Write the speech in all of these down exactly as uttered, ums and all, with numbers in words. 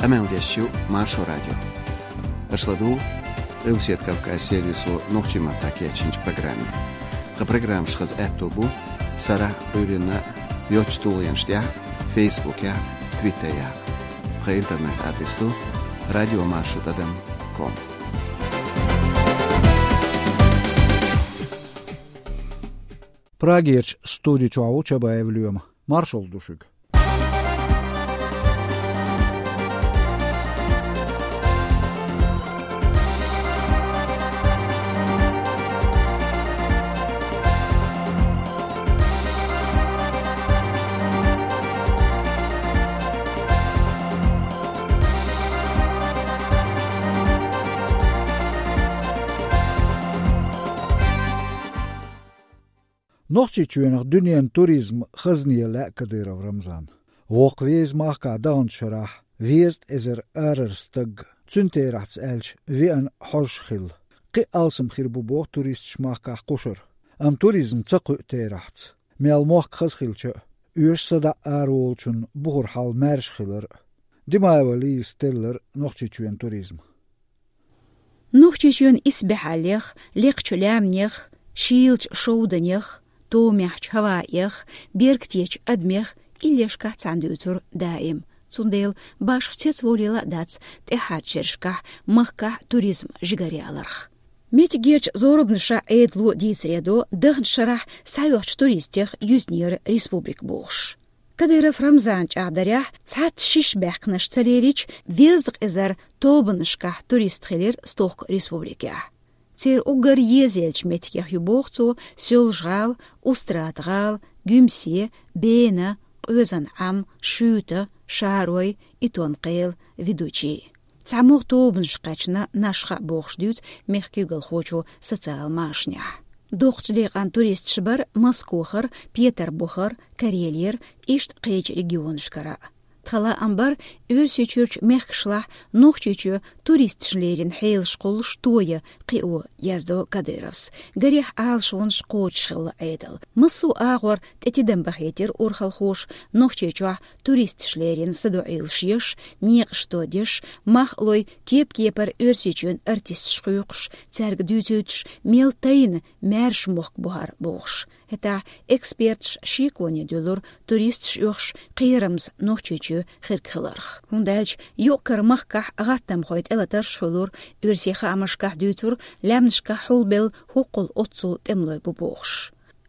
Къамел деш ю Маршо радио. Аша ладугӀу Къилбаседа Кавказан сервисо нохчийн маттахь кечйинчу программе. Тхан программаш хаза аьтто бу сарахь а, Ӏуьйранна а йоцачу тулгӀенаш тӀехь а, Фейсбукехь а, Твиттерехь а. Тхан интернет-адрес ду радиомаршо тӀадам ком. Прагерчу студи чохь ву Чабаев Лоьма. Маршалла ду шуьга. Нохчийчоьнах дуьненан туризман хазне лаьа Кадыров Рамзана. Воккхаве иза махкахь даханчу шарахь везткъа эзар арара стаг, цуьнан терахьца аьлча, веана хьожуш хилла. Кхин а алсам хир бу боху туристаш махкахь кхушара. Амма туризм ца кхуьу терахьца. Мел мохк хаза хилча а, оьшуш садаӀа араволучунна бухара хьал маьрша хилар а. Димаева Лизас теллира Нохчийчоьнан туризм. Нохчийчоьнан исбаьхьаллех, лекхачу лаьмнех, шийлачу шовданех, томехьчу хӀаваэх, бергтечу адамех иллешкахь цхьаьна дуьйцур даим. Цундела башха цецволийла а дац тӀаьххьарчу шерашкахь махкахь туризм жигаръяларх. Меттигерчу зорбанашкахь Ӏедало дийцаре до, даханчу шарахь схьайоьхучу туристех юьзнера республика бохуш. Кадыров Рамзанан чӀагӀдарехь, цхьацца шиша баьхкинарш ца лерича, везткъа эзар тобанашкахь турист хилира стохка республикехь. Церан уггар езаеллачу меттигех ю боху цо Соьлжа-ГӀала, Устрада-ГӀала, Гуьмсе, Бена, Къоьзан-Ӏам, Шуьйта, Шарой, Итон-Кхела, Ведучи. ЦхьамогӀа тобанаш кхаьчна Нашха а бохуш дуьйцу мехкан куьйгалхочо социал машанехь. Доккхачу декъана туристаш бара Москохара, Петарбухара, Карелера, иштта кхечу регионашкара а. Тхан лаам бара Оьрсийчуьрчу мехкашлахь Нохчийчоь туристашна леррина хьелаш кхуллуш тоя кхио, яздо Кадыровс. Гарехь, Ӏалашонаш кхочуш хилла Ӏедал. Массо а агӀор тӀе тидам бахийтира урхалхоша Нохчийчохь туристаш леррина садоӀийлаш еш, некъаш тодеш, мах а лой, кеп-кепара Оьрсийчоьнан артисташ кхойкхуш, цаьрга дуьйцуьйтуш, мел тайна маьрша мохк бу хӀара бохуш. ХӀетахь эксперташ шеконе дуьллура туристаш оьхуш кхерамза Нохчийчоь хирг хиларх. ХӀунда аьлча юкъ-кара махкахь гӀаттамхой тӀелатарш хуьлура, оьрсийн хаамашкахь дуьйцура, лаьмнашкахь хьулбелла хӀоккхул оццул тӀемалой бу бохуш.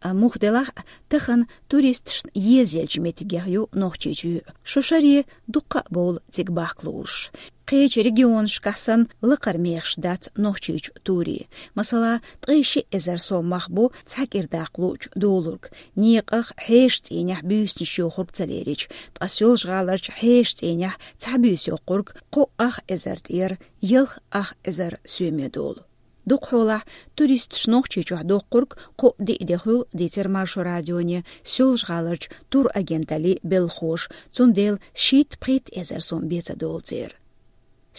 Амма муха делахь а, тахана туристашна езаеллачу меттигех ю Нохчийчоь. Шо шаре дуккха а бовла цига бахка луурш. Кхечу регионашкахь санна лакхара мехаш дац Нохчийчу турийн. Масала, ткъе шиъ эзар сом мах бу цхьа кӀира даккха луучу долург. Некъах, хьешан цӀийнехь буьйсанаш йохург ца лерича, ткъа Соьлжа-ГӀаларчу хьешан цӀийнехь цхьа буьйса йоккхург кхо ах эзар тӀера ялх ах эзар соьме долу. Дукхахьолахь туристаш Нохчийчохь доккхург кхо-диъ де хуьлу, дийцира Маршо радионе Соьлжа-ГӀаларчу турагенталлин белхахоша, цундела шийтта-пхийтта эзар сом бен ца долу церан.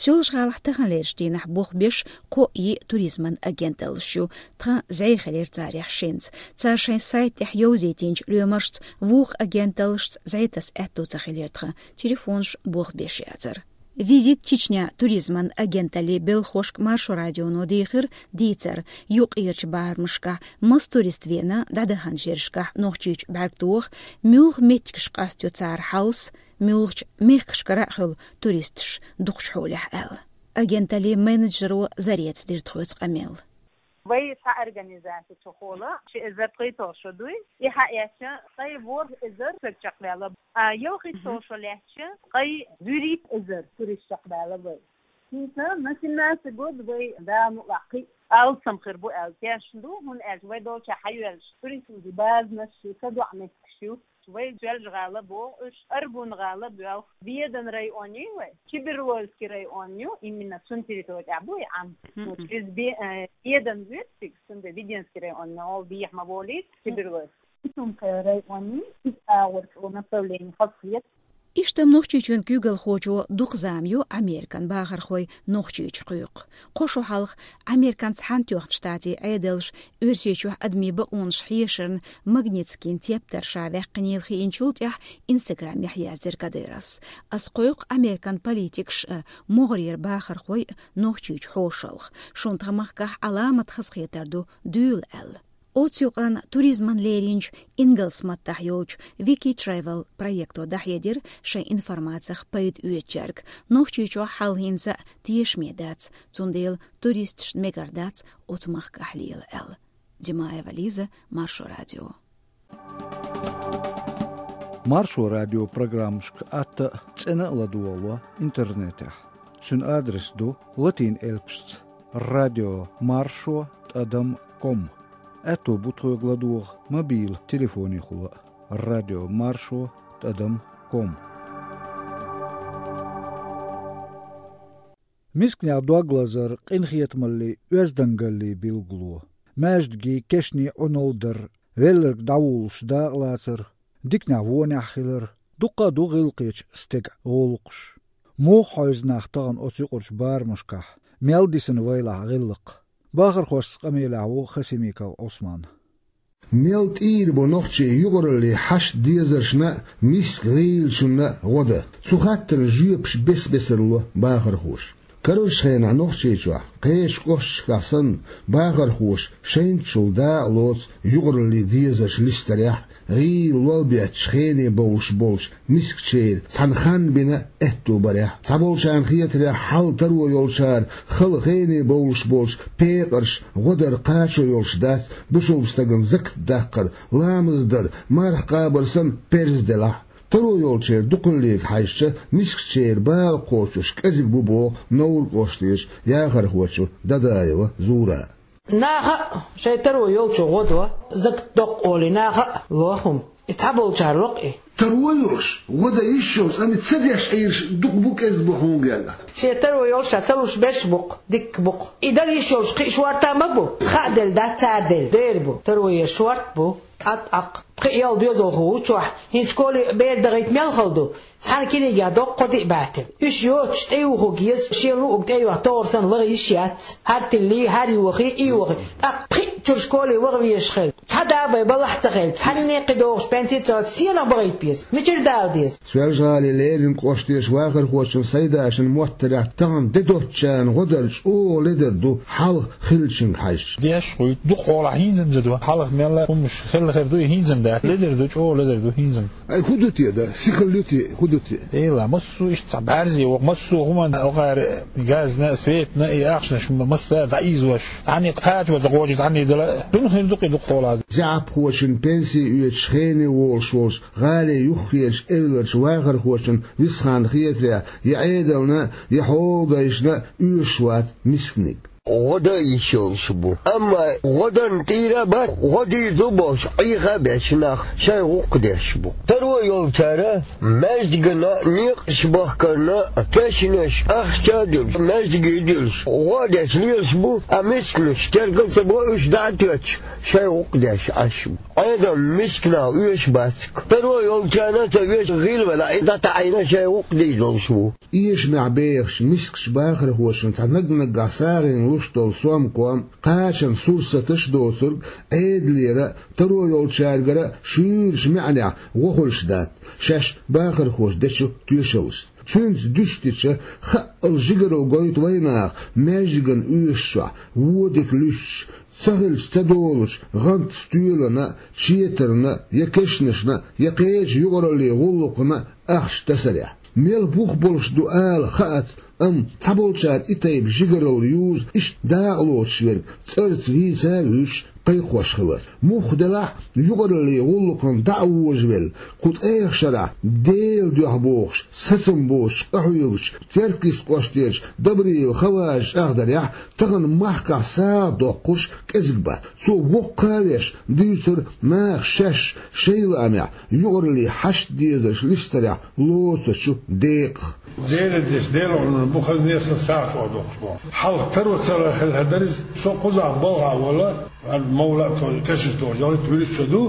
Соьлжа-ГӀалахь таханлерчу дийнахь болх беш кхо-йиъ туризман агенталлаш ю, тхан зӀе хилира царех шинца. Цара шайн сайт тӀехь йовзийтинчу лоьмаршца вукху агенталлашца зӀе таса аьтто ца хилира тхан, телефонаш болх беш яцара. «Визит Чечня» туризман агенталлин белхахошка Маршо радионо дийхира дийцар, юкъерчу барамашкахь маса турист веана дӀадаханчу шерашкахь Нохчийчу бӀаьрг тоха, муьлха меттигаш къастайо цара хьовса, муьлхачу мехкашкара а хуьлу туристаш дукхачу хьолехь аьлла. Агенталлин менеджеро Зарецас дира тхоьца къамел. Вай цхьа организаци цу хьолахь, ши эзар ткъе итт шо дуй. И хьаэцча, ткъе ворхӀ эзар стаг чекхваьлла. А ялх итт шо лаьцча, ткъе зуьрхӀитта эзар турист чекхбаьлла вай. ХӀинца на семнадцатый год вай Дала мукъ лахь кхин а алсам хир бу аьлла тешна ду, хӀунда аьлча вай долчохь хьайоьллуш туристийн базанаш ю, садоӀу меттигаш ю. Вай Соьлжа-ГӀала боху, уьш Аргун-гӀала боьлху, Ведан район ю вай, Чеберлойский район ю, именно цуьнан территори тӀехь бу и Ӏам. Мгм. Вот, иза Бе-, э, Ведан вуьйцу цига, цундела Веденский район, но вехьа ма волийта, Чеберлойский. Итун-Кхела район ю, иза агӀор цо направление хазахета. Иштта-м Нохчийчоьнан куьйгалхочо дукха зама ю Американ бахархой Нохчийчу кхойкху. Кхо шо хьалха Американ Цхьаьнатоьхначу Штатийн Ӏедалша Оьрсийчохь адамийн бакъонаш хьешарна Магнитскийн тептар ша ваьккхинийла хиъначул тӀаьхьа Инстаграмехь яздира Кадыровс: «Ас кхойкху Американ политикаш а, могӀарера бахархой а Нохчийчу хьошалгӀа. Шуна тхан махкахь Ӏаламат хазахетар ду, дуьйла», — аьлла. Оцу юкъанна туризмана леринчу, ингалс маттахь йолчу Wiki Travel проекто дӀахьедира шайн информацех пайда оьцучаьрга: Нохчийчохь хьал хӀинца а тешаме дац, цундела туристашна мегар дац оцу махкахь лела аьлла. Димаева Лиза, Маршо радио. Маршо радио программашка атта а, цӀена а ладогӀало интернетехь. Цуьнан адрес ду латин элпашца: радио маршо тӀадам ком. Аьтто бу тхоьга ладогӀа мобил телефонехула а: радио маршо тӀадам ком. Мисканех дог лазар къинхетамаллий, оьздангаллий билгало. Маьждигий, кешний Ӏуналла дар, велларг дӀавуллуш дакъалацар, диканехь вонехь хилар — дуккха а ду гӀиллакхечу стеган гӀуллакхаш. Муха хьовза нах тахана оцу юкъарчу барамашкахь, мел дисина вайлахь гӀиллакх? Бахархошца къамелехь ву Хасимиков Ӏусман. Мел тӀийр бу нохчий юкъараллин хьашт дезаршна а, миска гӀийлачунна а гӀо дан? Цу хаттарна жоьпаш бес-бесара ло бахархоша. Карарчу хенахь Нохчийчохь, кхечу кӀошташкахь санна, бахархоша шайнчул дакъа лоцу юкъараллин дезарш листарехь а, гӀийла лол бетташ хене бовлуш болчу мискачеран цхьана хан бина аьтто барехь а. Цхьаболчарна хетарехь, хьал таро йолчара хала хене бовлуш болчу пекъарш гӀо дар кхачо йолуш дац, бусалба стагана закат даккхар, ламаз дар, марха къабар санна, парз делахь а. Таро йолчеран дукхаллига хьаьжча, мискачеран бала кхочуш кӀезиг бу, боху Невран кӀоштарчу яхархочо Дадаева Зурас. Наха а шайн таро йолчо гӀо до, закат доккху олий, наха а ло хӀума. И цхьаболчара ло-кх и. Таро йолуш, гӀо дан йиш йолуш, амма ца деш Ӏийраш дукха бу, кӀезиг бу хьуна гергахь. Шен таро йолуш ша ца луш берш бу-кх, дикка бу-кх. И дала йиш йолуш кхин а шорта ма бу. Хаа делла дац, цара делла дера бу. Таро ер шорта бу. ТӀаккха пхи-ялх доьзалхо ву чохь, хӀинца школе бер дахийта мел хала ду. Цхьана книгехь доккху кхо-диъ бӀе тилла. Уьш йоцуш тӀеюхург еза, шен луург тӀейохка тохар санна, лаха йиш яц. ХӀара тиллий, хӀара йохий, и йохий. ТӀаккха пхиъ чуьра школе ваха везаш хилла. Цхьа да-бай балахь а ца хилла, цхьанне а кхидогӀуш пенси а ца хилла, сенах бахийта беза. Мичара дала деза? Соьлжа-ГӀалин Лерин кӀоштарчу вахархочун Сайдашин моттарехь, тахана де доцучарна гӀо дар чӀогӀа ледара ду, хьалха хиллачуьнга хьаьжча. Деш хуьйту, дукха хьолахь хӀинца-м ца ду. Хьалха мелла хӀумаш хилла хир ду, и хӀинца-м дац. Ледара ду, чӀогӀа ледара ду хӀинца-м. Ай, хӀун ду те, да? Сихал ю те, хӀун ду те? Эла, массо а иштта цхьа бӀаьрзе воккху, массо а хӀуманна, окхара газна, светна, и ахчанаш массара дӀаийзош. Цхьанне кхача ваза гӀожа, цхьанне дала. Дуьнен хир ду-кх и дукха хьолахь. ЗаьӀапхочун пенси оьцуш хене волуш волчу гӀалин юххерчу эвларчу вахархочун Висханна хетарехь, я Ӏедална, я хьоладайшна оьшуш вац мисканиг. ГӀо дан йиш йолуш бу. Амма гӀо дан тӀера а бац, гӀо дийр ду бохуш, Ӏеха а беш нах шайн гӀуллакх деш бу. Таро йолчара маьждигана некъаш бахкарна, кешнаш, ахча а дуьллуш, маьждиге а дуьллуш, гӀо а деш лелаш бу, а мисканаш тергал ца бо, уьш дӀа а тоьттуш, шайн гӀуллакх деш Ӏаш бу. Ӏедал мисканах оьшуш бац-кх. Таро йолчарна ца оьшуш гӀийла велахь, и дӀатаӀийна шайн гӀуллакх дийр долуш ву. Эшамехь бехачу мискачу бахархошна цхьа наг-наггахь сагӀина луш долу сомком, кхачан сурсаташ а доцург, Ӏедалера а, таро йолчаьргара а шуьйрачу маьӀнехь гӀо хуьлуш дац, шаьш бахархоша дечу тоьшаллашца. Цуьнца дуьстича, хаъал жигаралла гойту вайнаха маьждиган оьшучохь, вон дика луьстуш, ца хилча ца долучу гӀант стоьлана, четарна, я кешнашна, я кхечу юкъараллин гӀуллакхна ахча тасарехь. Мел бух болуш ду ала хаац, амма цхьаболчара и тайпа жигаралла юзу иштта дакъалоцуш верг цӀарца вийца а вуьйцуш кхайкхош хилар. Мухха делахь а, юкъараллин гӀуллакхана дӀа а вожавелла, кху ткъех шарахь Делан дуьхьа бохуш, сацам боцуш къахьоьгучу Теркйист кӀоштерчу Добриев Хаважа чӀагӀдарехь, тахана махкахь сагӀа доккхуш кӀезиг бац. Цо воккха а веш, дуьйцура наха шаьш шайн лаамехь юкъараллин хьашт дезарш листарехь лоцучу декъах. Делан деш, Делан гӀуллакх бу, хазне сан сагӀа чӀогӀа доккхуш боху. Хьалха таро ца хилла хӀара дара иза, со кхузахь балхахь волу, хӀара мовла а тохуш, кешнаш тохуш, ялхитта-вуьрхӀитта шо ду.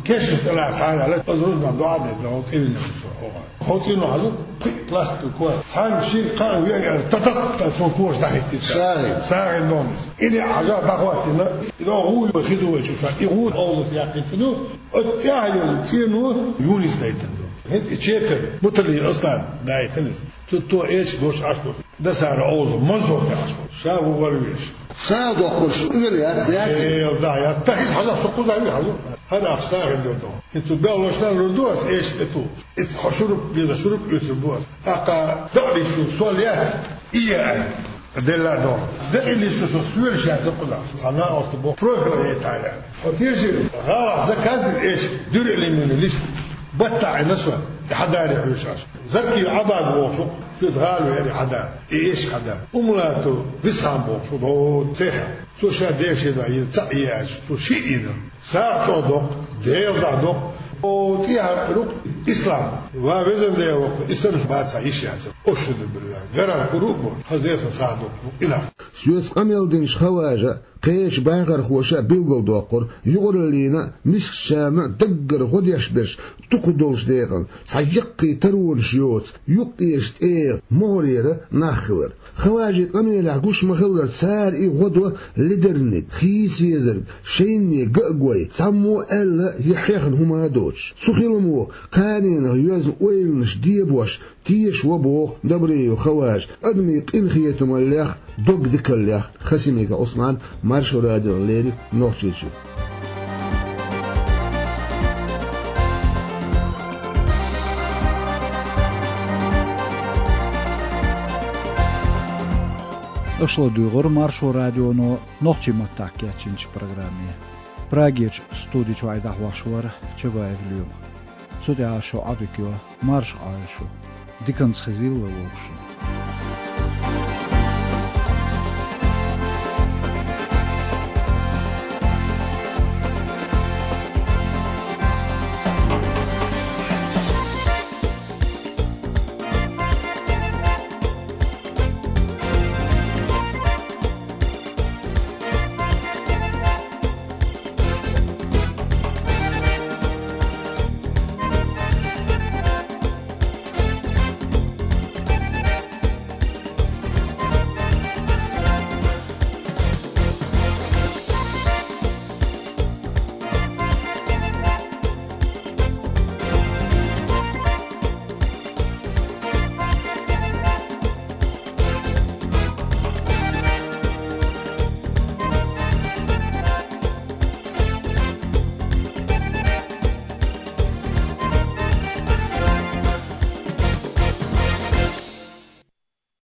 Кешнаш тӀалаьцна хьалаьлла, аз рузбан доӀа дедда, хьо тӀевинна со хьогӀа. Хьо цӀено хьажу, пхи пластиковый кора. Цхьана шин кхаъ вен аьлла, та-та-та цо кошта дӀахӀиттийта. СагӀин. СагӀин нонис. И де хьажа дӀахӀоттийна, и догӀу гӀу ю хи ду вай чу ша. И гӀу овлас яхийтина, оцу тӀехь йолу цӀено Юнис дайтина ду. ХӀинца и четар, Бутали Аслан дайтина иза. Цу то эча дош Ӏаш ду. Дасара овза, маза дохка Ӏаш ду. Ша ву вала веш. Ша дохкуш, уьгар яц, яц. Э, да, я, та хӀинца хьалха со кхуза ви хьалу. ХӀара ахча сагӀина дерг ду. ХӀинца бел лошна лур ду ас, эшта тӀе ту. Иза хьо шуруп, беза шуруп, уьсур бу ас. Аккха дакъаличу сол яц, и я ай. Делла догӀу. Дакъаличу со суьйлаш яц кхуза. Цхьа накъост бу, профиль яйтахьа. Хьо тешира, гӀалахь заказ дина эча, дуьра лимина лист. БаттахӀина со, и хьадаре хьуьйшаш. Заркий Ӏабаз вохуш ву, шуьца гӀала веара и хьада, и эшка хьада. Умлату Бисхьан бохуш ву, догӀу цеха. Цо ша дешина йина цхьаъ яьлча, цо шиъ йина. СагӀа чӀогӀа доккху, Делан дуьхьа доккху. О, тӀехьа рукъ Ислам. Ва везан Дела воккху, и санаш бацахь йиш яц. Ошуду билла. Гарам куру а бохуш, хаза десан сагӀа доккху, и нах. Соьца къамел динчу хаважа, кхечу бахархоша билгалдоккхура, юкъараллина а, мискачарна а даггара гӀо деш берш дукха долчу декъана, цхьа яккхий таронаш йоцу, юккъерчу тӀегӀа могӀарера нах хилар. Хаважийн къамелехь гуш ма-хиллара, цара и гӀо до ледарниг, хийца езарг, шайне ган а гой, цхьаммо а аьлла я хьехна хӀума а доцуш. Цу хиламо кханенах йоьзна ойланаш дебош, теша ван боху Добреев Хаважа, адамийн къинхетамаллех, догдикаллех. Хасимиков Ӏусман, Маршо радиона леррина, Нохчийчуьра. Аша ладуьйгӀира Маршо радионо нохчийн маттахь кечйинчу программе. Прагерчу студи чуьра дӀахьош вара Чабаев Лоьма. Цу тӀехь шун Ӏадика йо, марша Ӏойла шу. Диканца хезийла вай вовшашна.